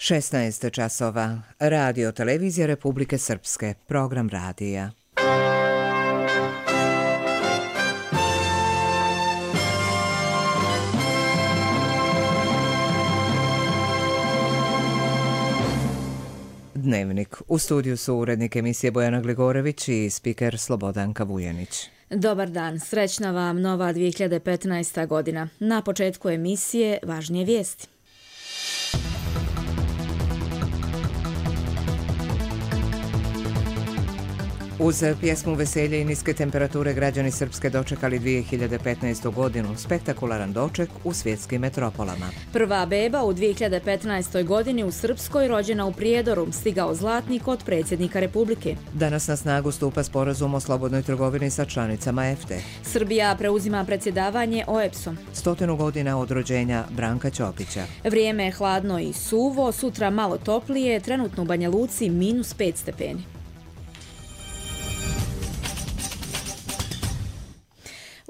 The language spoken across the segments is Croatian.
16 časova. Radio Televizija Republike Srpske. Program radija. Dnevnik. U studiju su urednik emisije Bojana Gligorević i spiker Slobodanka Vujanić. Dobar dan, srećna vam nova 2015. godina. Na početku emisije važnije vijesti. Uz pjesmu Veselje i niske temperature građani Srpske dočekali 2015. godinu, spektakularan doček u svjetskim metropolama. Prva beba u 2015. godini u Srpskoj, rođena u Prijedoru, stigao zlatnik od predsjednika Republike. Danas na snagu stupa sporazum o slobodnoj trgovini sa članicama EFTA. Srbija preuzima predsjedavanje OEBS-om. 100 godina od rođenja Branka Ćopića. Vrijeme je hladno i suvo, sutra malo toplije, trenutno u Banja Luci -5 stepeni.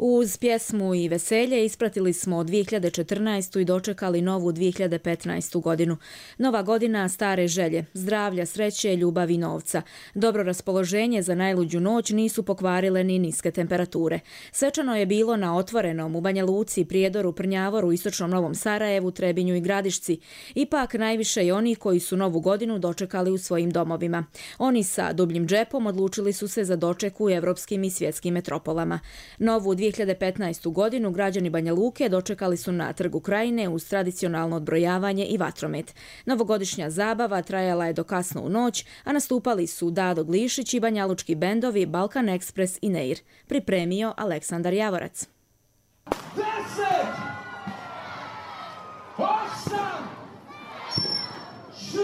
Uz pjesmu i veselje ispratili smo 2014. i dočekali novu 2015. godinu. Nova godina stare želje, zdravlja, sreće, ljubavi i novca. Dobro raspoloženje za najluđu noć nisu pokvarile ni niske temperature. Svečano je bilo na otvorenom u Banja Luci, Prijedoru, Prnjavoru, Istočnom Novom Sarajevu, Trebinju i Gradišci. Ipak najviše i oni koji su novu godinu dočekali u svojim domovima. Oni sa dubljim džepom odlučili su se za doček u evropskim i svjetskim metropolama. Novu 2015. godinu građani Banja Luke dočekali su na Trgu Krajine uz tradicionalno odbrojavanje i vatromet. Novogodišnja zabava trajala je do kasno u noć, a nastupali su Dado Glišić i banjalučki bendovi Balkan Ekspres i Neir. Pripremio Aleksandar Javorac. 10, 8, 6,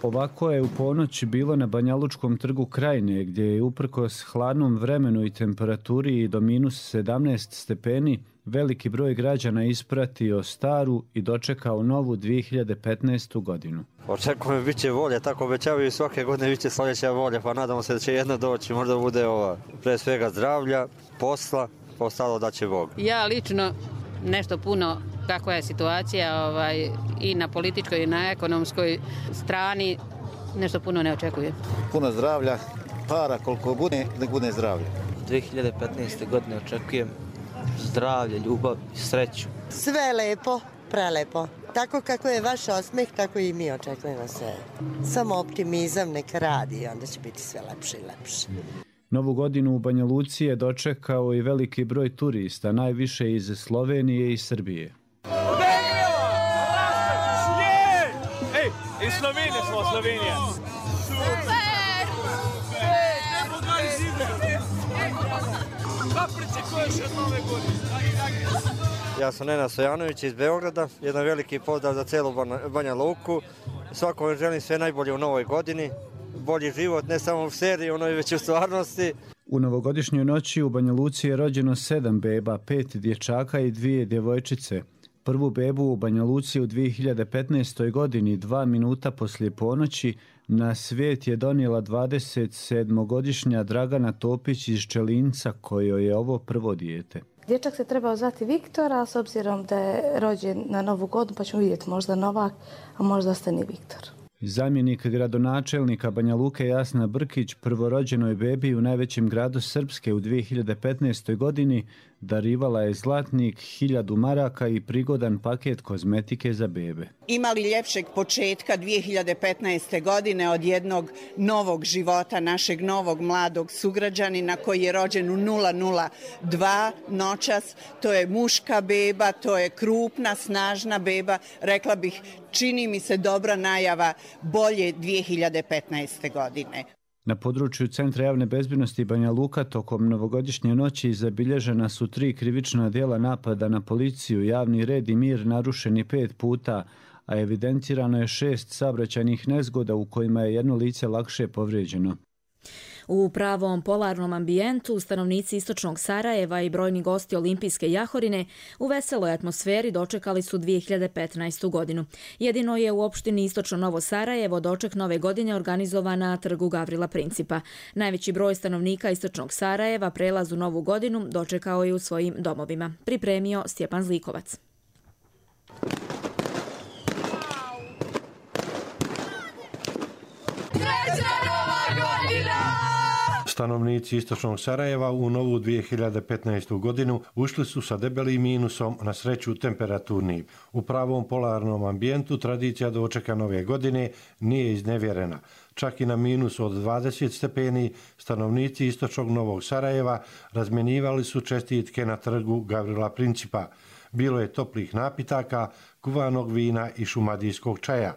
Ovako je u ponoć bilo na Banjalučkom trgu Krajine, gdje je uprkos hladnom vremenu i temperaturi do -17 stepeni veliki broj građana ispratio staru i dočekao novu 2015. godinu. Očekujem bit će volje, tako obećavaju svake godine bit će sljedeća volja, pa nadamo se da će jedna doći, možda bude pre svega zdravlja, posla, ostalo da će Bog. Ja lično nešto puno kakva je situacija i na političkoj i na ekonomskoj strani, nešto puno ne očekujem. Puno zdravlja, para koliko bude, nek bude zdravlje. 2015. godine očekujem zdravlje, ljubav i sreću. Sve lepo, prelepo. Tako kako je vaš osmeh, tako i mi očekujemo sve. Samo optimizam neka radi i onda će biti sve lepše i lepše. Novu godinu u Banja Luci je dočekao i veliki broj turista, najviše iz Slovenije i Srbije. Iz Slovenije smo, Slovenija. Super! Šta pričekuješ od nove godine? Ja sam Nenad Stojanović iz Beograda, jedan veliki pozdrav za celu Banja Luku. Svakome želim sve najbolje u novoj godini, bolji život, ne samo u seriji, već u stvarnosti. U novogodišnjoj noći u Banja Luci je rođeno 7 beba, 5 dječaka i 2 djevojčice. Prvu bebu u Banja Luci u 2015. godini, 2 minuta poslije ponoći, na svijet je donijela 27-godišnja Dragana Topić iz Čelinca, kojoj je ovo prvo dijete. Dječak se trebao zvati Viktor, a s obzirom da je rođen na novu godinu, pa ćemo vidjeti možda Novak, a možda ostane Viktor. Zamjenik gradonačelnika Banja Luke Jasna Brkić prvorođenoj bebi u najvećem gradu Srpske u 2015. godini darivala je zlatnik 1000 maraka i prigodan paket kozmetike za bebe. Imali ljepšeg početka 2015. godine od jednog novog života, našeg novog mladog sugrađanina koji je rođen u 002 noćas. To je muška beba, to je krupna, snažna beba. Rekla bih, čini mi se dobra najava bolje 2015. godine. Na području Centra javne bezbjednosti Banja Luka tokom novogodišnje noći zabilježena su 3 krivična djela napada na policiju, javni red i mir narušeni 5 puta, a evidentirano je 6 saobraćajnih nezgoda u kojima je jedno lice lakše povrijeđeno. U pravom polarnom ambijentu stanovnici istočnog Sarajeva i brojni gosti olimpijske jahorine u veseloj atmosferi dočekali su 2015. godinu. Jedino je u opštini Istočno Novo Sarajevo doček nove godine organizovan na trgu Gavrila Principa. Najveći broj stanovnika istočnog Sarajeva prelaz u novu godinu dočekao je u svojim domovima. Pripremio Stjepan Zlikovac. Stanovnici istočnog Sarajeva u novu 2015. godinu ušli su sa debelim minusom, na sreću temperaturni. U pravom polarnom ambijentu tradicija dočeka nove godine nije iznevjerena. Čak i na minusu od 20 stepeni stanovnici istočnog Novog Sarajeva razmjenjivali su čestitke na trgu Gavrila Principa. Bilo je toplih napitaka, kuvanog vina i šumadijskog čaja.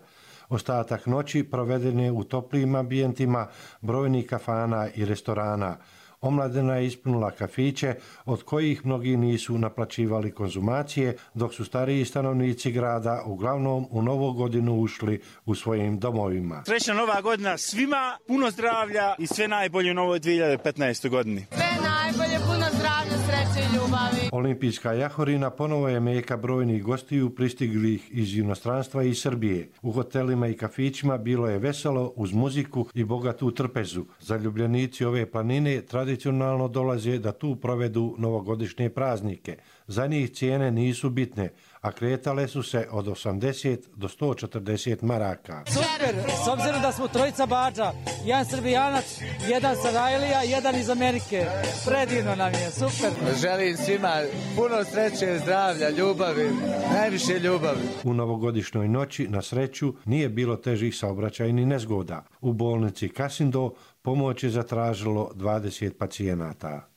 Ostatak noći proveden je u toplijim ambijentima brojnih kafana i restorana. Omladina je ispunila kafiće, od kojih mnogi nisu naplaćivali konzumacije, dok su stariji stanovnici grada uglavnom u novu godinu ušli u svojim domovima. Srećna nova godina svima, puno zdravlja i sve najbolje u novoj 2015. godini. Sve najbolje, puno zdravlja, sreće i ljubavi. Olimpijska jahorina ponovo je meka brojnih gostiju pristiglih iz inostranstva i Srbije. U hotelima i kafićima bilo je veselo uz muziku i bogatu trpezu. Zaljubljenici ove planine tradicionalno dolaze da tu provedu novogodišnje praznike. Za njih cijene nisu bitne, a kretale su se od 80 do 140 maraka. Super, s obzirom da smo trojica bađa, jedan Srbijanac, jedan Sarajlija, jedan iz Amerike. Predivno nam je, super. Želim svima puno sreće, zdravlja, ljubavi, najviše ljubavi. U novogodišnjoj noći, na sreću, nije bilo težih saobraćajnih nezgoda. U bolnici Kasindo pomoć je zatražilo 20 pacijenata.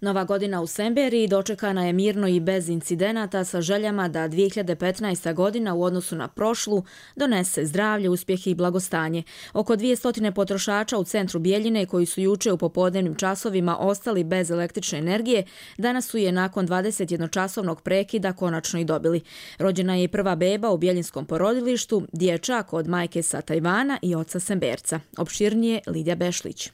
Nova godina u Semberiji dočekana je mirno i bez incidenata sa željama da 2015. godina u odnosu na prošlu donese zdravlje, uspjeh i blagostanje. Oko 200 potrošača u centru Bijeljine koji su juče u popodnevnim časovima ostali bez električne energije, danas su je nakon 21-časovnog prekida konačno i dobili. Rođena je i prva beba u Bijeljinskom porodilištu, dječak od majke sa Tajvana i oca Semberca. Opširnije Lidija Bešlić.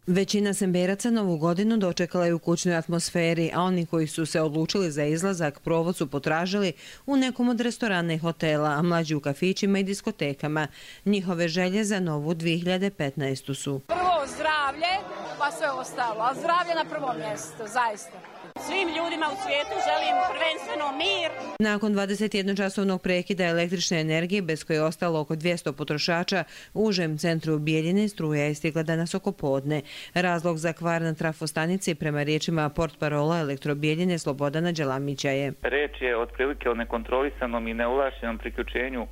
Većina Semberaca novu godinu dočekala je u kućnoj atmosferi, a oni koji su se odlučili za izlazak provod su potražili u nekom od restorana i hotela, a mlađi u kafićima i diskotekama. Njihove želje za novu 2015. su: prvo zdravlje, pa sve ostalo, a zdravlje na prvom mjestu, zaista. Svim ljudima u svijetu želim prvenstveno mir. Nakon 21-časovnog prekida električne energije, bez koje je ostalo oko 200 potrošača, u užem centru Bijeljine struja je stigla danas oko podne. Razlog za kvar na trafostanici prema riječima portparola Elektrobijeljine Slobodana Đelamića je: reč je otprilike o nekontrolisanom i neovlašćenom priključenju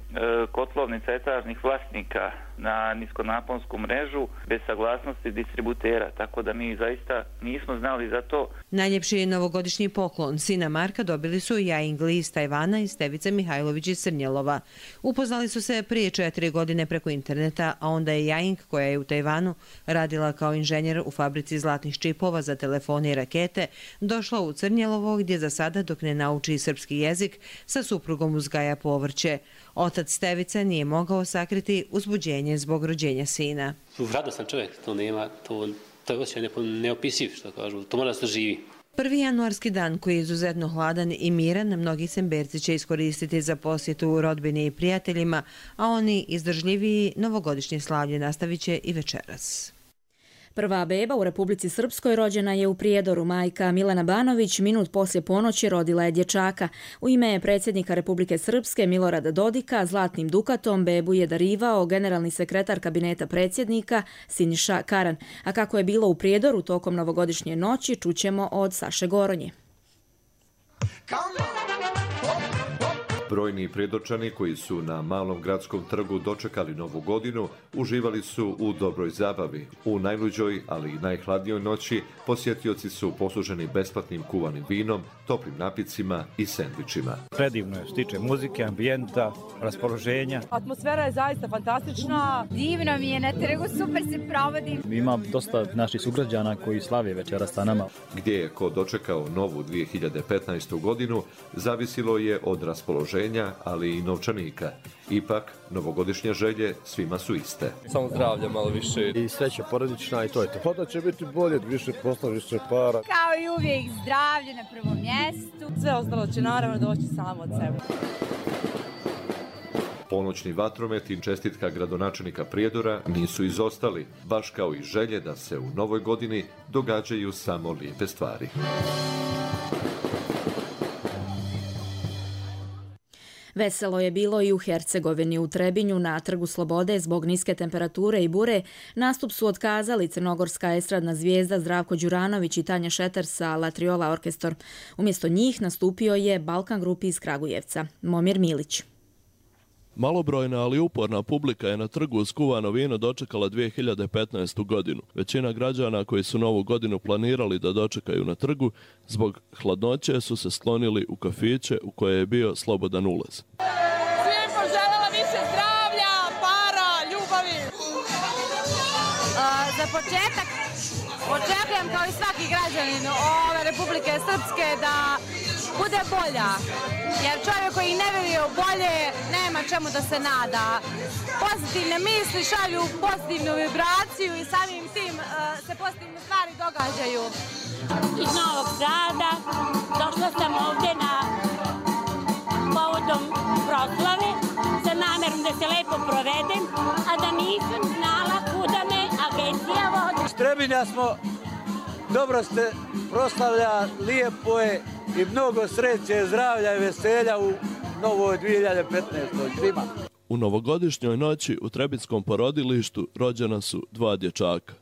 kotlovnica etažnih vlasnika na niskonaponsku mrežu bez saglasnosti distributera, tako da mi zaista nismo znali za to. Najljepši novogodišnji poklon sina Marka dobili su Jaing Li iz Tajvana i Stevica Mihajlović iz Crnjelova. Upoznali su se prije 4 godine preko interneta, a onda je Jaing, koja je u Tajvanu radila kao inženjer u fabrici zlatnih čipova za telefone i rakete, došla u Crnjelovo gdje za sada, dok ne nauči srpski jezik, sa suprugom uzgaja povrće. Otac Stevica nije mogao sakriti uzbuđenje zbog rođenja sina. Radostan čovjek, to nema, to je osjećaj neopisiv, što kažu, to mora da se živi. Prvi januarski dan, koji je izuzetno hladan i miran, mnogi Semberci će iskoristiti za posjetu rodbini i prijateljima, a oni izdržljiviji novogodišnje slavlje nastavit će i večeras. Prva beba u Republici Srpskoj rođena je u Prijedoru. Majka Milena Banović minut poslije ponoći rodila je dječaka. U ime predsjednika Republike Srpske Milorada Dodika zlatnim dukatom bebu je darivao generalni sekretar kabineta predsjednika Siniša Karan. A kako je bilo u Prijedoru tokom novogodišnje noći, čućemo od Saše Goronje. Brojni prijedočani koji su na Malom gradskom trgu dočekali novu godinu uživali su u dobroj zabavi. U najluđoj, ali i najhladnijoj noći posjetioci su posluženi besplatnim kuvanim vinom, toplim napicima i sendvičima. Predivno je, što tiče muzike, ambijenta, raspoloženja. Atmosfera je zaista fantastična. Divno mi je na trgu, super se provodim. Ima dosta naših sugrađana koji slave večeras sa nama. Gdje je ko dočekao novu 2015. godinu, zavisilo je od raspoloženja raspoloženja, ali i novčanika. Ipak, novogodišnje želje svima su iste. Samo zdravlja malo više i sreća porodična i to je to. Pa da će biti bolje, više posla, više para. Kao i uvijek zdravlje na prvom mjestu. Sve ostalo će naravno doći samo od sebe. Ponoćni vatromet i čestitka gradonačelnika Prijedora nisu izostali, baš kao i želje da se u novoj godini događaju samo lijepe stvari. Veselo je bilo i u Hercegovini. U Trebinju na Trgu Slobode zbog niske temperature i bure nastup su otkazali crnogorska estradna zvijezda Zdravko Đuranović i Tanja Šeter sa Latriola orkestor. Umjesto njih nastupio je Balkan grupi iz Kragujevca. Momir Milić. Malobrojna, ali uporna publika je na trgu uz kuvano vino dočekala 2015. godinu. Većina građana koji su novu godinu planirali da dočekaju na trgu, zbog hladnoće su se sklonili u kafiće u koje je bio slobodan ulaz. Svim poželjela više zdravlja, para, ljubavi. Za početak očekujem kao i svaki građanin ove Republike Srpske da bude bolja, jer čovjek koji ne vjeruje u bolje nema čemu da se nada. Pozitivne misli šalju pozitivnu vibraciju i samim tim se pozitivne stvari događaju. Iz Novog Sada došla sam ovdje na povodom proslave sa namjerom da se lepo provedem, a da nisam znala kuda me agencija vodi. Iz Trebinja smo, dobro ste proslavlja, lijepo je i mnogo sreće, zdravlja i veselja u novoj 2015. svima. U novogodišnjoj noći u Trebitskom porodilištu rođena su 2 dječaka.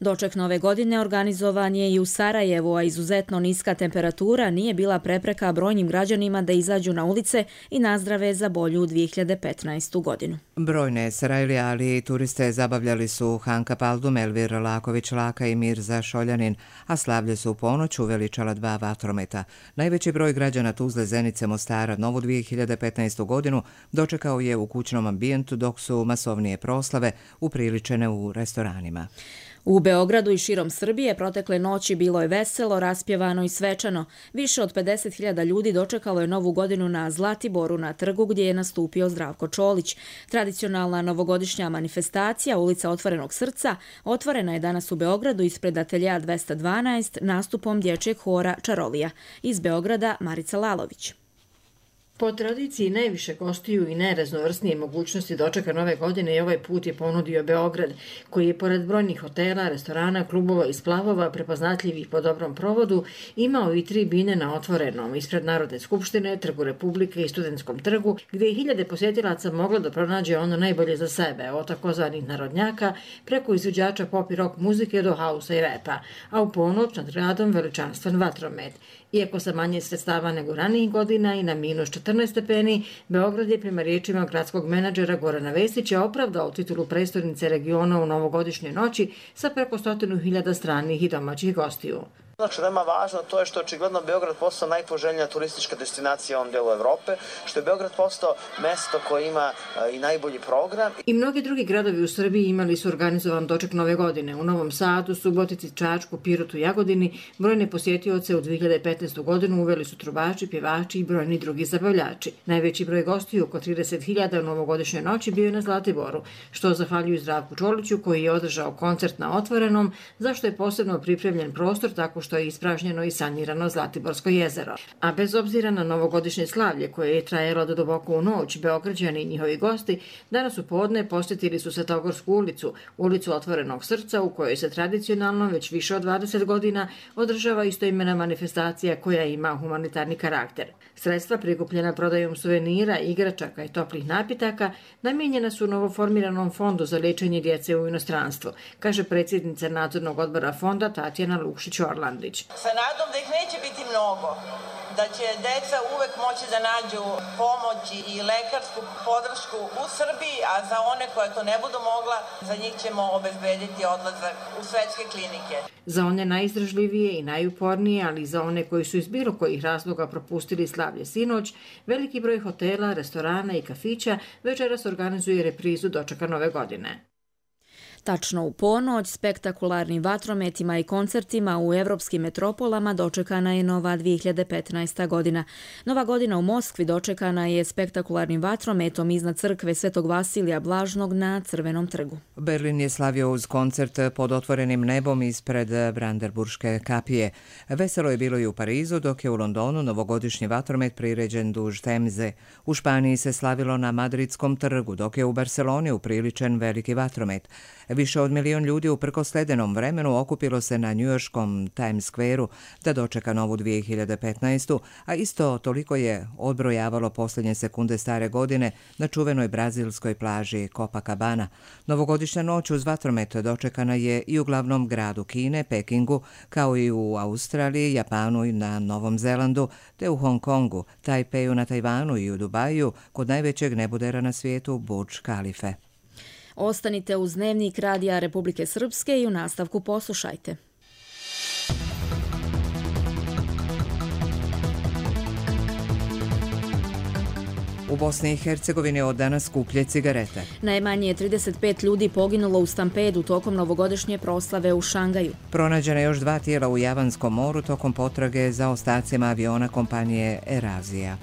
Doček nove godine organizovan je i u Sarajevu, a izuzetno niska temperatura nije bila prepreka brojnim građanima da izađu na ulice i nazdrave za bolju 2015. godinu. Brojne Sarajlije, ali i turiste zabavljali su Hanka Paldum, Elvir Laković-Laka i Mirza Šoljanin, a slavlje su u ponoć uveličala 2 vatrometa. Najveći broj građana Tuzle, Zenice, Mostara novu 2015. godinu dočekao je u kućnom ambijentu, dok su masovnije proslave upriličene u restoranima. U Beogradu i širom Srbije protekle noći bilo je veselo, raspjevano i svečano. Više od 50.000 ljudi dočekalo je novu godinu na Zlatiboru na trgu gdje je nastupio Zdravko Čolić. Tradicionalna novogodišnja manifestacija Ulica Otvorenog srca otvorena je danas u Beogradu ispred ateljeja 212 nastupom dječjeg hora Čarolija. Iz Beograda Marica Lalović. Po tradiciji najviše gostiju i najraznovrsnije mogućnosti dočeka nove godine i ovaj put je ponudio Beograd, koji je pored brojnih hotela, restorana, klubova i splavova prepoznatljivih po dobrom provodu imao i 3 bine na otvorenom ispred Narodne skupštine, Trgu Republike i Studentskom trgu, gdje je hiljade posjetilaca moglo da pronađe ono najbolje za sebe, od takozvanih narodnjaka preko izvođača pop i rock muzike do hausa i repa, a u ponoć nad gradom veličanstven vatromet. Iako sa manje sredstava nego ranijih godina i na minus 14 stepeni, Beograd je prema riječima gradskog menadžera Gorana Vesića opravdao titulu prestolnice regiona u novogodišnjoj noći sa preko 100.000 stranih i domaćih gostiju. Ono što je veoma važno to je što je očigledno Beograd postao najpoželjnija turistička destinacija u ovom delu Evrope, što je Beograd postao mesto koje ima i najbolji program. I mnogi drugi gradovi u Srbiji imali su organizovan doček nove godine. U Novom Sadu, Subotici, Čačku, Pirotu, Jagodini brojne posjetioce u 2015. godinu uveli su trubači, pjevači i brojni drugi zabavljači. Najveći broj gostiju, oko 30.000 u novogodišnjoj noći, bio je na Zlatiboru, što zahvaljuju Zdravku Čoliću koji je održao koncert na otvorenom, zašto je posebno pripremljen prostor tako što je ispražnjeno i sanirano Zlatiborsko jezero. A bez obzira na novogodišnje slavlje koje je trajalo do duboko u noć, Beograđani i njihovi gosti danas u podne posjetili su Svetogorsku ulicu, ulicu Otvorenog srca u kojoj se tradicionalno već više od 20 godina održava istoimena manifestacija koja ima humanitarni karakter. Sredstva prikupljena prodajom suvenira, igračaka i toplih napitaka namijenjena su novoformiranom fondu za liječenje djece u inostranstvu, kaže predsjednica nadzornog odbora fonda Tatjana Lukšić-Orlandi. Sa nadom da ih neće biti mnogo, da će deca uvek moći da nađu pomoć i lekarsku podršku u Srbiji, a za one koje to ne budu mogla, za njih ćemo obezbediti odlazak u svetske klinike. Za one najizdržljivije i najupornije, ali i za one koji su iz bilo kojih razloga propustili slavlje sinoć, veliki broj hotela, restorana i kafića večeras organizuje reprizu dočeka nove godine. Tačno u ponoć, spektakularnim vatrometima i koncertima u evropskim metropolama dočekana je nova 2015. godina. Nova godina u Moskvi dočekana je spektakularnim vatrometom iznad crkve Svetog Vasilija Blažnog na Crvenom trgu. Berlin je slavio uz koncert pod otvorenim nebom ispred Brandenburške kapije. Veselo je bilo i u Parizu, dok je u Londonu novogodišnji vatromet priređen duž Temze. U Španiji se slavilo na Madridskom trgu, dok je u Barceloni upriličen veliki vatromet. Više od 1 milion ljudi uprkos ledenom vremenu okupilo se na njujorškom Times Square-u da dočeka novu 2015. A isto toliko je odbrojavalo posljednje sekunde stare godine na čuvenoj brazilskoj plaži Copacabana. Novogodišnja noć uz vatromet dočekana je i u glavnom gradu Kine, Pekingu, kao i u Australiji, Japanu i na Novom Zelandu, te u Hong Kongu, Tajpeju na Tajvanu i u Dubaju, kod najvećeg nebodera na svijetu Burj Khalife. Ostanite uz Dnevnik Radija Republike Srpske i u nastavku poslušajte. U Bosni i Hercegovini od danas skuplje cigarete. Najmanje je 35 ljudi poginulo u stampedu tokom novogodišnje proslave u Šangaju. Pronađena još 2 tijela u Javanskom moru tokom potrage za ostacima aviona kompanije Erazija.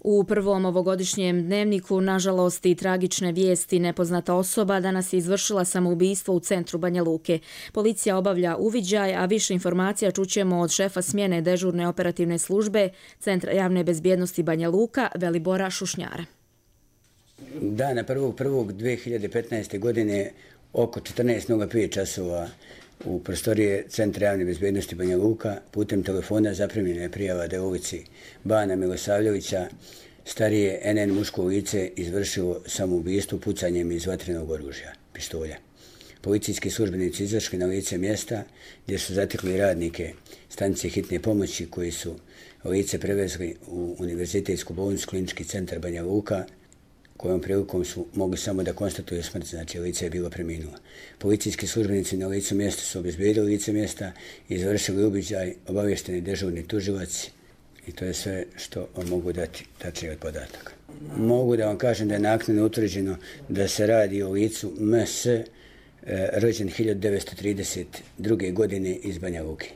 U prvom ovogodišnjem dnevniku, nažalost i tragične vijesti, nepoznata osoba danas je izvršila samoubistvo u centru Banja Luke. Policija obavlja uviđaj, a više informacija čućemo od šefa smjene dežurne operativne službe Centra javne bezbjednosti Banja Luka, Velibora Šušnjara. Dana 1.1.2015. godine oko 14:05 časova u prostorije Centra javne bezbjednosti Banja Luka putem telefona zaprimljena je prijava da je u ulici Bana Milosavljevića starije NN muško lice izvršilo samoubistvo pucanjem iz vatrenog oružja, pištolja. Policijski službenici izašli na lice mjesta gdje su zatekli radnike stanice hitne pomoći koji su lice prevezli u Univerzitetsku bolnicu Klinički centar Banja Luka, kojom prilikom su mogli samo da konstatuju smrt, znači lice je bilo preminulo. Policijski službenici na licu mjesta su obezbijedili lice mjesta i izvršili uviđaj, obavješteni dežurni tužilac i to je sve što vam mogu dati tačnije od podataka. Mogu da vam kažem da je naknadno utvrđeno da se radi o licu MS, rođen 1932. godine iz Banja Luke.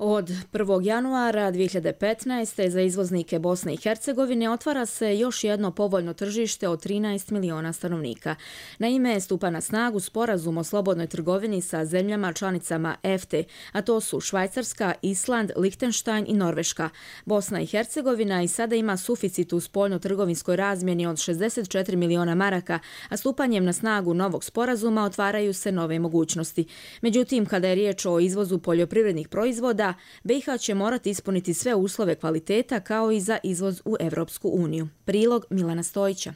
Od 1. januara 2015. za izvoznike Bosne i Hercegovine otvara se još jedno povoljno tržište od 13 miliona stanovnika. Naime, stupa na snagu sporazum o slobodnoj trgovini sa zemljama članicama EFTE, a to su Švajcarska, Island, Lihtenštajn i Norveška. Bosna i Hercegovina i sada ima suficit u spoljno-trgovinskoj razmjeni od 64 miliona maraka, a stupanjem na snagu novog sporazuma otvaraju se nove mogućnosti. Međutim, kada je riječ o izvozu poljoprivrednih proizvoda, BiH će morati ispuniti sve uslove kvaliteta kao i za izvoz u Evropsku uniju. Prilog Milana Stojića.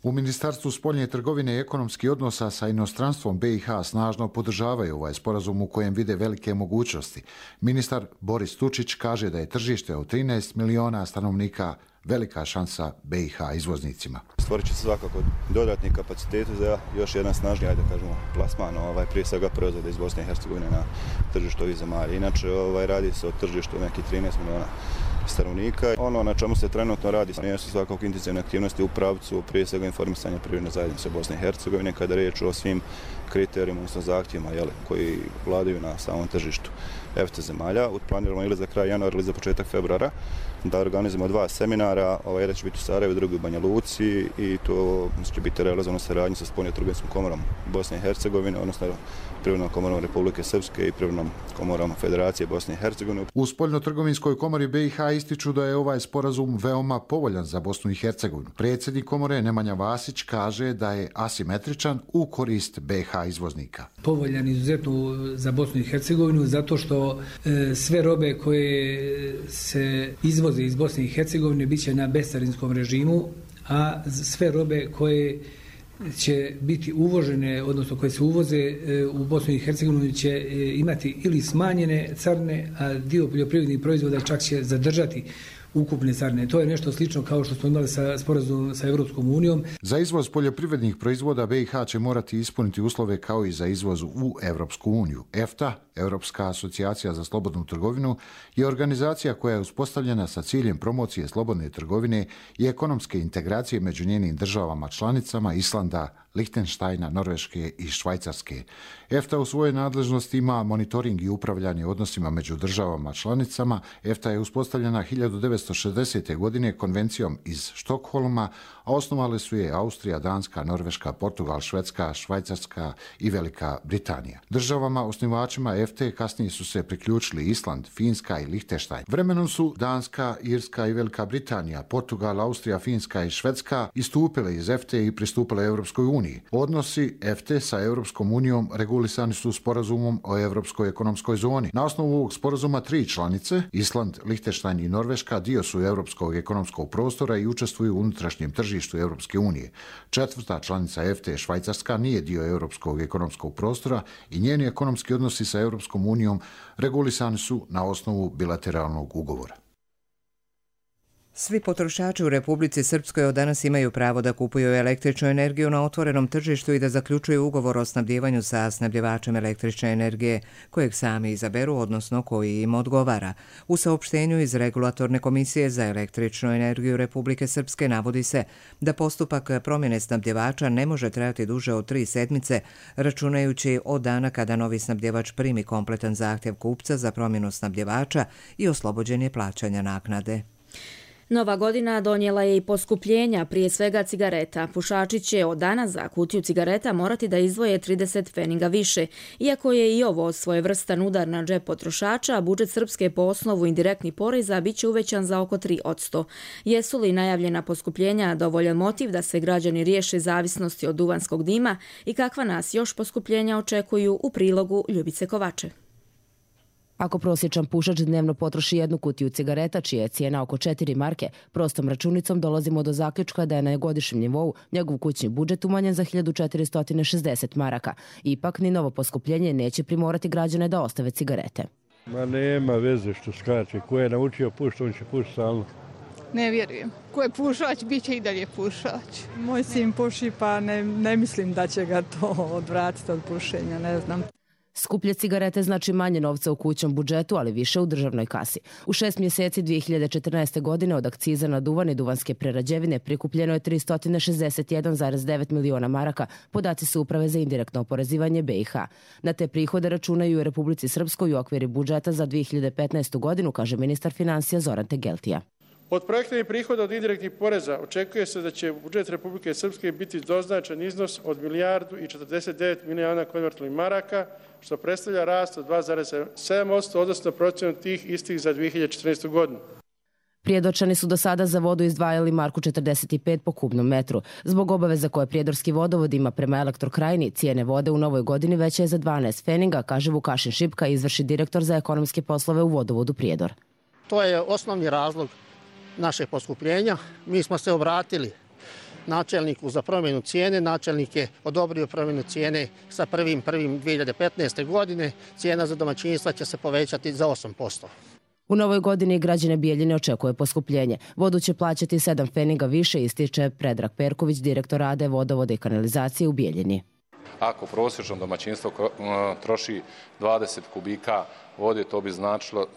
U Ministarstvu spoljne trgovine i ekonomskih odnosa sa inostranstvom BiH snažno podržavaju ovaj sporazum u kojem vide velike mogućnosti. Ministar Boris Tučić kaže da je tržište od 13 miliona stanovnika velika šansa BiH izvoznicima. Stvorit će se svakako dodatni kapaciteti za još jedan snažniji, da kažemo, plasman, prije svega proizvoda iz Bosne i Hercegovine na tržištu ovih zemalja. Inače, radi se o tržištu nekih 13 miliona stanovnika. Ono na čemu se trenutno radi su svakako intenzivne aktivnosti u pravcu prije svega informisanja privredne zajednice Bosne i Hercegovine kada je riječ o svim kriterijima, odnosno zahtjevima koji vladaju na samom tržištu EFTA zemalja. Planiramo ili za kraj januara ili za početak februara da organizujemo 2 seminara, jedan će biti u Sarajevu, drugi u Banja Luci i to će biti realizovano saradnju sa spoljno-trgovinskom komorom Bosne i Hercegovine, odnosno Privrednom komorom Republike Srpske i Privrednom komorom Federacije Bosne i Hercegovine. U spoljno-trgovinskoj komori BiH ističu da je ovaj sporazum veoma povoljan za Bosnu i Hercegovinu. Predsjednik komore Nemanja Vasić kaže da je asimetričan u korist BiH izvoznika. Povoljan izuzetno za Bosnu i Hercegovinu zato što sve robe koje se izvoze iz Bosne i Hercegovine bit će na bescarinskom režimu, a sve robe koje će biti uvožene, odnosno koje se uvoze u Bosnu i Hercegovinu će imati ili smanjene carine, a dio poljoprivrednih proizvoda čak će zadržati ukupne carine. To je nešto slično kao što smo imali sa sporazumom sa Evropskom unijom. Za izvoz poljoprivrednih proizvoda BiH će morati ispuniti uslove kao i za izvoz u Evropsku uniju. EFTA, Europska asocijacija za slobodnu trgovinu, je organizacija koja je uspostavljena sa ciljem promocije slobodne trgovine i ekonomske integracije među njenim državama članicama Islanda, Lihtenštajna, Norveške i Švajcarske. EFTA u svojoj nadležnosti ima monitoring i upravljanje odnosima među državama članicama. EFTA je uspostavljena 1960. godine konvencijom iz Štokholma, a osnovali su je Austrija, Danska, Norveška, Portugal, Švedska, Švajcarska i Velika Britanija. Državama osnivačima EFTA kasnije su se priključili Island, Finska i Lihtenštajn. Vremenom su Danska, Irska i Velika Britanija, Portugal, Austrija, Finska i Švedska istupile iz EFTA i pristupile Europskoj uniji. Odnosi EFTA sa Europskom unijom regulisani su sporazumom o Europskoj ekonomskoj zoni. Na osnovu ovog sporazuma 3 članice, Island, Lihtenštajn i Norveška, dio su Europskog ekonomskog prostora i učestvuju u unutrašnjem tržištu Europske unije. 4. članica EFTA, Švajcarska, nije dio Europskog ekonomskog prostora i njeni ekonomski odnosi sa Europskom unijom regulisani su na osnovu bilateralnog ugovora. Svi potrošači u Republici Srpskoj od danas imaju pravo da kupuju električnu energiju na otvorenom tržištu i da zaključuju ugovor o snabdjevanju sa snabdjevačem električne energije kojeg sami izaberu, odnosno koji im odgovara. U saopštenju iz Regulatorne komisije za električnu energiju Republike Srpske navodi se da postupak promjene snabdjevača ne može trajati duže od 3 sedmice, računajući od dana kada novi snabdjevač primi kompletan zahtjev kupca za promjenu snabdjevača i oslobođenje plaćanja naknade. Nova godina donijela je i poskupljenja, prije svega cigareta. Pušači će od danas za kutiju cigareta morati da izdvoje 30 pfeniga više. Iako je i ovo svojevrstan udar na džep potrošača, budžet Srpske po osnovu indirektnih poreza bit će uvećan za oko 3%. Jesu li najavljena poskupljenja dovoljan motiv da se građani riješe zavisnosti od duvanskog dima i kakva nas još poskupljenja očekuju u prilogu Ljubice Kovače? Ako prosječan pušač dnevno potroši 1 kutiju cigareta, čija je cijena oko 4 marke, prostom računicom dolazimo do zaključka da je na godišnjem nivou njegov kućni budžet umanjen za 1460 maraka. Ipak, ni novo poskupljenje neće primorati građane da ostave cigarete. Ma nema veze što skače. Ko je naučio pušiti, on će pušiti stalno. Ne vjerujem. Ko je pušač, bit će i dalje pušač. Moj sin puši, pa ne mislim da će ga to odvratiti od pušenja, ne znam. Skuplje cigarete znači manje novca u kućnom budžetu, ali više u državnoj kasi. U 6 mjeseci 2014. godine od akciza na duvan i duvanske prerađevine prikupljeno je 361,9 miliona maraka, podaci su Uprave za indirektno oporezivanje BiH. Na te prihode računaju u Republici Srpskoj u okviru budžeta za 2015. godinu, kaže ministar financija Zoran Tegeltija. Od projektnih prihoda od indirektnih poreza očekuje se da će u budžet Republike Srpske biti doznačen iznos od 1,49 milijardi konvertibilnih maraka, što predstavlja rast od 2,7%, odnosno procjenu tih istih za 2014. godinu. Prijedočani su do sada za vodu izdvajali marku 45 po kubnom metru. Zbog obaveza koje Prijedorski vodovod ima prema Elektrokrajini, cijene vode u novoj godini veće je za 12 pfeniga, kaže Vukašin Šipka, izvršni direktor za ekonomske poslove u vodovodu Prijedor. To je osnovni razlog našeg poskupljenja. Mi smo se obratili načelniku za promjenu cijene. Načelnik je odobrio promjenu cijene sa 1.1.2015. godine. Cijena za domaćinstva će se povećati za 8%. U novoj godini građane Bijeljine očekuje poskupljenje. Vodu će plaćati 7 pfeniga više, ističe Predrag Perković, direktor AD Vodovode i kanalizacije u Bijeljini. Ako prosječno domaćinstvo troši 20 kubika vode, to bi značilo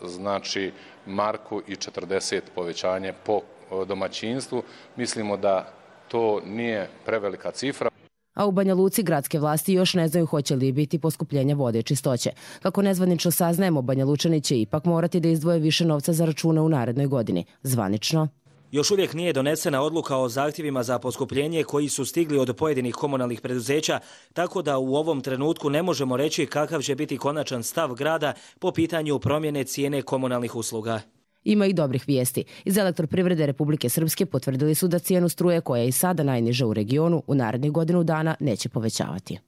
marku i 40 povećanje po domaćinstvu. Mislimo da to nije prevelika cifra. A u Banja Luci gradske vlasti još ne znaju hoće li biti poskupljenja vode i čistoće. Kako nezvanično saznajemo, Banja Lučani će ipak morati da izdvoje više novca za račune u narednoj godini. Zvanično još uvijek nije donesena odluka o zahtjevima za poskupljenje koji su stigli od pojedinih komunalnih preduzeća, tako da u ovom trenutku ne možemo reći kakav će biti konačan stav grada po pitanju promjene cijene komunalnih usluga. Ima i dobrih vijesti. Iz Elektroprivrede Republike Srpske potvrdili su da cijenu struje, koja je i sada najniža u regionu, u narednih godinu dana neće povećavati.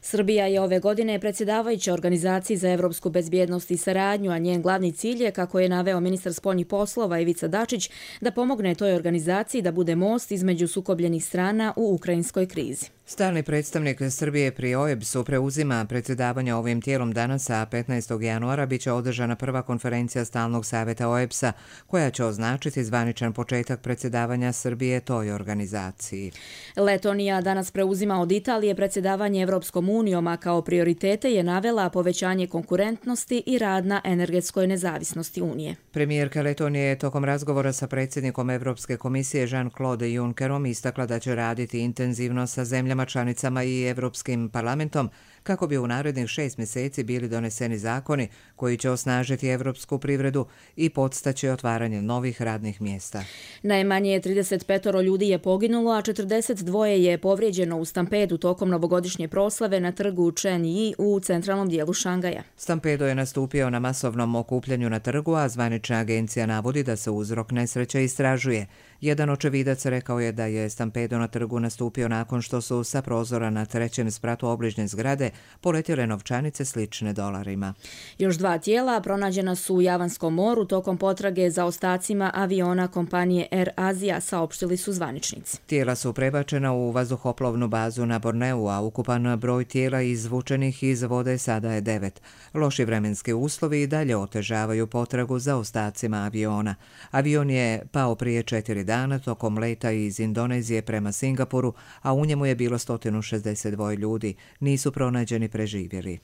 Srbija je ove godine predsjedavajuća Organizaciji za evropsku bezbjednost i saradnju, a njen glavni cilj je, kako je naveo ministar spoljnih poslova Ivica Dačić, da pomogne toj organizaciji da bude most između sukobljenih strana u ukrajinskoj krizi. Stalni predstavnik Srbije pri OEBS-u preuzima predsjedavanje ovim tijelom danas, a 15. januara biće održana prva konferencija Stalnog savjeta OEBS-a, koja će označiti zvaničan početak predsjedavanja Srbije toj organizaciji. Letonija danas preuzima od Italije predsjedavanje Evropskom unijom, a kao prioritete je navela povećanje konkurentnosti i rad na energetskoj nezavisnosti Unije. Premijerka Letonije je tokom razgovora sa predsjednikom Evropske komisije Jean-Claude Junckerom istakla da će raditi intenzivno sa zemljama članicama i Evropskim parlamentom kako bi u narednih 6 mjeseci bili doneseni zakoni koji će osnažiti evropsku privredu i podstaći otvaranje novih radnih mjesta. Najmanje 35 ljudi je poginulo, a 42 je povrijeđeno u stampedu tokom novogodišnje proslave na trgu Chen Yi u centralnom dijelu Šangaja. Stampedo je nastupio na masovnom okupljanju na trgu, a zvanična agencija navodi da se uzrok nesreće istražuje. Jedan očevidac rekao je da je stampedo na trgu nastupio nakon što su sa prozora na 3. spratu obližnje zgrade poletjele novčanice slične dolarima. Još 2 tijela pronađena su u Javanskom moru tokom potrage za ostacima aviona kompanije Air Asia, saopštili su zvaničnici. Tijela su prebačena u vazduhoplovnu bazu na Borneu, a ukupan broj tijela izvučenih iz vode sada je 9. Loši vremenski uslovi i dalje otežavaju potragu za ostacima aviona. Avion je pao prije 4 dana tokom leta iz Indonezije prema Singapuru, a u njemu je bilo 162 ljudi. Nisu pronađeni preživjeli.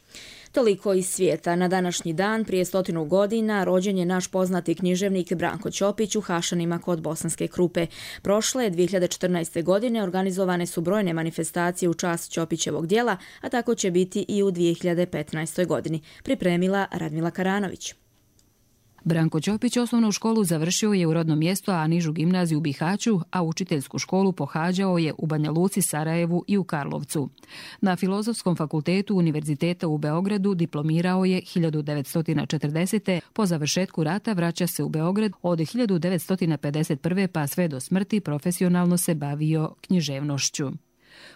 Toliko iz svijeta. Na današnji dan, prije 100 godina, rođen je naš poznati književnik Branko Ćopić u Hašanima kod Bosanske Krupe. Prošle 2014. godine organizovane su brojne manifestacije u čast Ćopićevog djela, a tako će biti i u 2015. godini. Pripremila Radmila Karanović. Branko Ćopić osnovnu školu završio je u rodnom mjestu, a nižu gimnaziju u Bihaću, a učiteljsku školu pohađao je u Banja Luci, Sarajevu i u Karlovcu. Na Filozofskom fakultetu Univerziteta u Beogradu diplomirao je 1940. Po završetku rata vraća se u Beograd. Od 1951. pa sve do smrti profesionalno se bavio književnošću.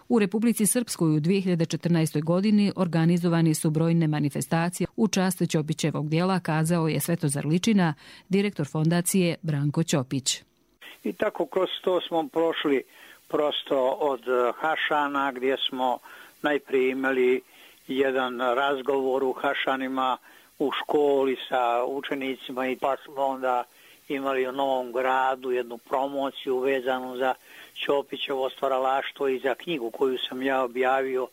U Republici Srpskoj u 2014. godini organizovani su brojne manifestacije u čast Ćopićevog djela, kazao je Svetozar Ličina, direktor fondacije Branko Ćopić. I tako kroz to smo prošli prosto od Hašana, gdje smo najprije imali jedan razgovor u Hašanima u školi sa učenicima i pa smo onda imali u Novom Gradu jednu promociju vezanu za Ćopićevo stvaralaštvo i za knjigu koju sam ja objavio,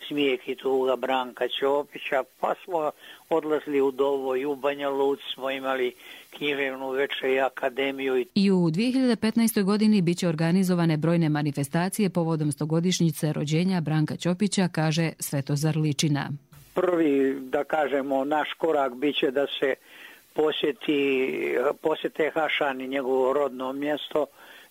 Smijeh i tuga Branka Ćopića, pa smo odlazili u Dovoj, u Banja Luci smo imali književnu večer i akademiju. I u 2015. godini bit će organizovane brojne manifestacije povodom 100-godišnjice rođenja Branka Ćopića, kaže Svetozar Ličina. Prvi, da kažemo, naš korak bit će da se posjete Hašan i njegovo rodno mjesto,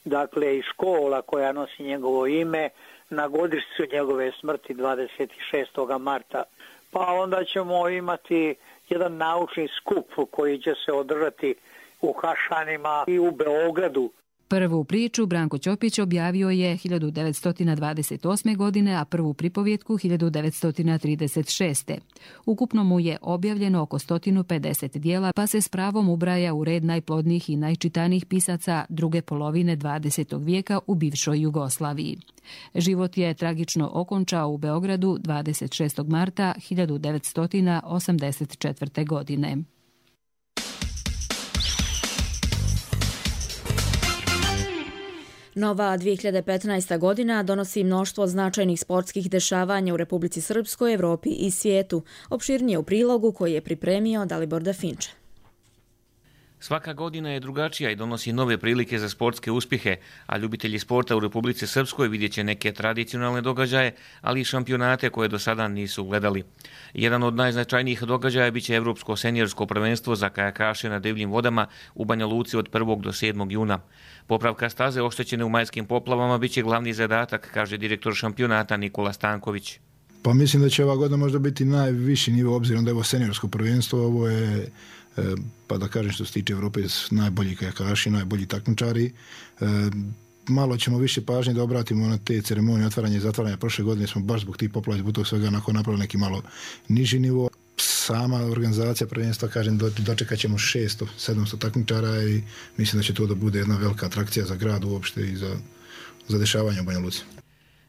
dakle i škola koja nosi njegovo ime, na godišnjicu njegove smrti 26. marta. Pa onda ćemo imati jedan naučni skup koji će se održati u Hašanima i u Beogradu. Prvu priču Branko Ćopić objavio je 1928. godine, a prvu pripovjetku 1936. Ukupno mu je objavljeno oko 150 dijela, pa se s pravom ubraja u red najplodnijih i najčitanijih pisaca druge polovine 20. vijeka u bivšoj Jugoslaviji. Život je tragično okončao u Beogradu 26. marta 1984. godine. Nova 2015. godina donosi mnoštvo značajnih sportskih dešavanja u Republici Srpskoj, Evropi i svijetu. Opširnije u prilogu koji je pripremio Dalibor Dafinče. Svaka godina je drugačija i donosi nove prilike za sportske uspjehe, a ljubitelji sporta u Republici Srpskoj vidjet će neke tradicionalne događaje, ali i šampionate koje do sada nisu gledali. Jedan od najznačajnijih događaja biće Evropsko seniorsko prvenstvo za kajakaše na divljim vodama u Banja Luci od 1. do 7. juna. Popravka staze oštećene u majskim poplavama biće glavni zadatak, kaže direktor šampionata Nikola Stanković. Pa mislim da će ova godina možda biti najviši nivo, obzirom da je ovo seniorsko prvenstvo, ovo je, pa da kažem što se tiče Evrope, najbolji kajakaši, najbolji takmičari. Malo ćemo više pažnje da obratimo na te ceremonije otvaranja i zatvaranja. Prošle godine smo baš zbog tih poplava, zbog tog svega napravili neki malo niži nivo. Sama organizacija prvenstva, kažem, dočekat ćemo 600-700 takmičara i mislim da će to da bude jedna velika atrakcija za grad uopšte i za dešavanje u Banja Luci.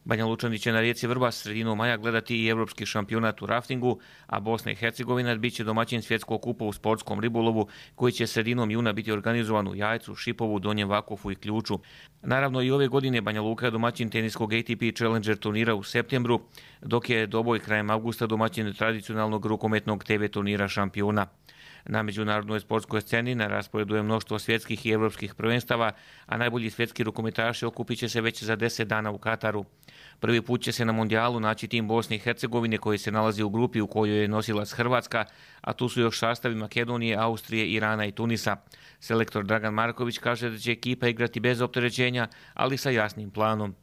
Banja Lučani će na rijeci Vrbas sredinom maja gledati i evropski šampionat u raftingu, a Bosna i Hercegovina bit će domaćin svjetskog kupa u sportskom ribolovu koji će sredinom juna biti organizovan u Jajcu, Šipovu, Donjem Vakofu i Ključu. Naravno i ove godine Banja Luka je domaćin teniskog ATP Challenger turnira u septembru, dok je Doboj krajem avgusta domaćin tradicionalnog rukometnog TV turnira šampiona. Na međunarodnoj sportskoj sceni na rasporedu je mnoštvo svjetskih i evropskih prvenstava, a najbolji svjetski rukometaši okupit će se već za 10 dana u Kataru. Prvi put će se na mondijalu naći tim Bosne i Hercegovine koji se nalazi u grupi u kojoj je nosilac Hrvatska, a tu su još sastavi Makedonije, Austrije, Irana i Tunisa. Selektor Dragan Marković kaže da će ekipa igrati bez opterećenja, ali sa jasnim planom.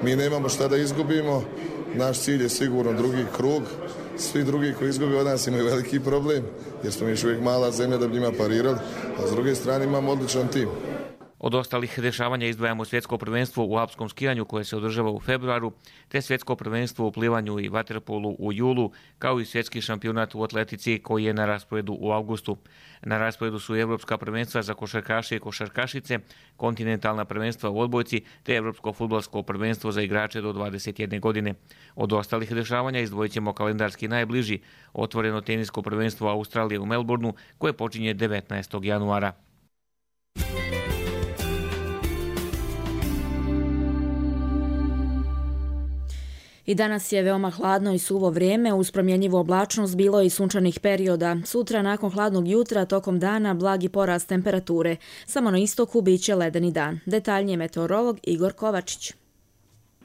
Mi nemamo šta da izgubimo, naš cilj je sigurno drugi krug. Svi drugi koji izgube od nas imaju veliki problem, jer smo još uvijek mala zemlja da bi njima parirali, a s druge strane imamo odličan tim. Od ostalih dešavanja izdvajamo svjetsko prvenstvo u alpskom skijanju koje se održava u februaru, te svjetsko prvenstvo u plivanju i vaterpolu u julu, kao i svjetski šampionat u atletici koji je na rasporedu u avgustu. Na rasporedu su evropska prvenstva za košarkaše i košarkašice, kontinentalna prvenstva u odbojci te evropsko fudbalsko prvenstvo za igrače do 21 godine. Od ostalih dešavanja izdvojit ćemo kalendarski najbliži, otvoreno tenisko prvenstvo Australije u Melbourneu koje počinje 19. januara. I danas je veoma hladno i suvo vrijeme, uz promjenjivu oblačnost bilo i sunčanih perioda. Sutra nakon hladnog jutra tokom dana blagi porast temperature. Samo na istoku biće ledeni dan. Detaljnije meteorolog Igor Kovačić.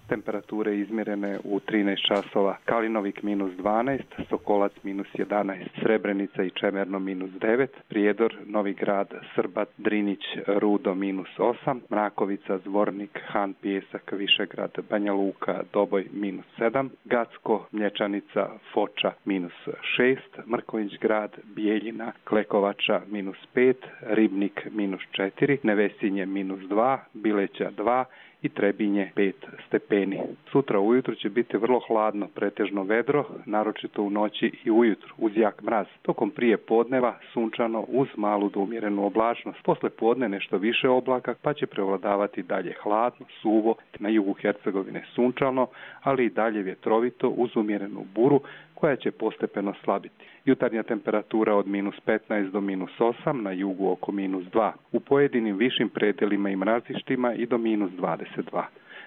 Temperature izmjerene u 13 časova. Kalinovik -12, Sokolac -11, Srebrenica i Čemerno -9, Prijedor, Novi Grad, Srbat, Drinić, Rudo -8, Mrakovica, Zvornik, Han, Pijesak, Višegrad, Banja Luka, Doboj -7, Gacko, Mlječanica, Foča -6, Mrković grad, Bijeljina, Klekovača -5, Ribnik -4, Nevesinje -2, Bileća 2 i Trebinje 5 stepeni. Sutra ujutro će biti vrlo hladno, pretežno vedro, naročito u noći i ujutru, uz jak mraz. Tokom prije podneva sunčano uz malu do umjerenu oblačnost. Posle podne nešto više oblaka, pa će prevladavati dalje hladno, suvo, na jugu Hercegovine sunčano, ali i dalje vjetrovito uz umjerenu buru, koja će postepeno slabiti. Jutarnja temperatura od -15 do -8, na jugu oko -2. U pojedinim višim predelima i mrazištima i do -22.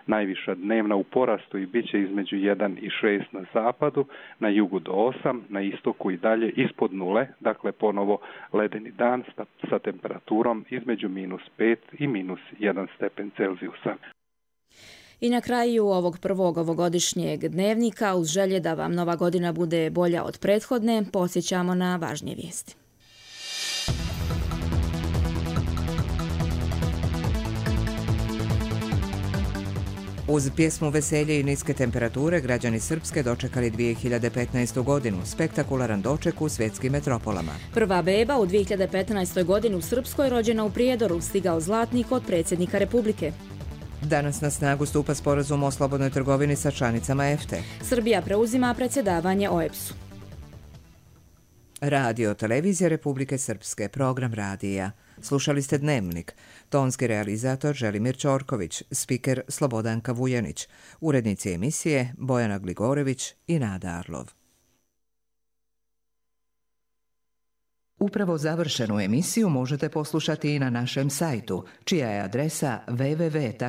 Najviša dnevna u porastu i bit će između 1 i 6 na zapadu, na jugu do 8, na istoku i dalje ispod nule, dakle ponovo ledeni dan sa temperaturom između -5 i -1 stepen Celzijusa. I na kraju ovog prvog ovogodišnjeg dnevnika, uz želje da vam nova godina bude bolja od prethodne, podsjećamo na važnije vijesti. Uz pjesmu Veselje i niske temperature, građani Srpske dočekali 2015. godinu, spektakularan doček u svjetskim metropolama. Prva beba u 2015. godini u Srpskoj, rođena u Prijedoru, stigao zlatnik od predsjednika Republike. Danas na snagu stupa sporazum o slobodnoj trgovini sa članicama EFTE. Srbija preuzima predsjedavanje OEBS-u. Radio Televizija Republike Srpske, program radija. Slušali ste Dnevnik. Tonski realizator Želimir Ćorković, spiker Slobodanka Vujanić, urednici emisije Bojana Gligorević i Nada Arlov. Upravo završenu emisiju možete poslušati i na našem sajtu, čija je adresa www.rtrs.tv.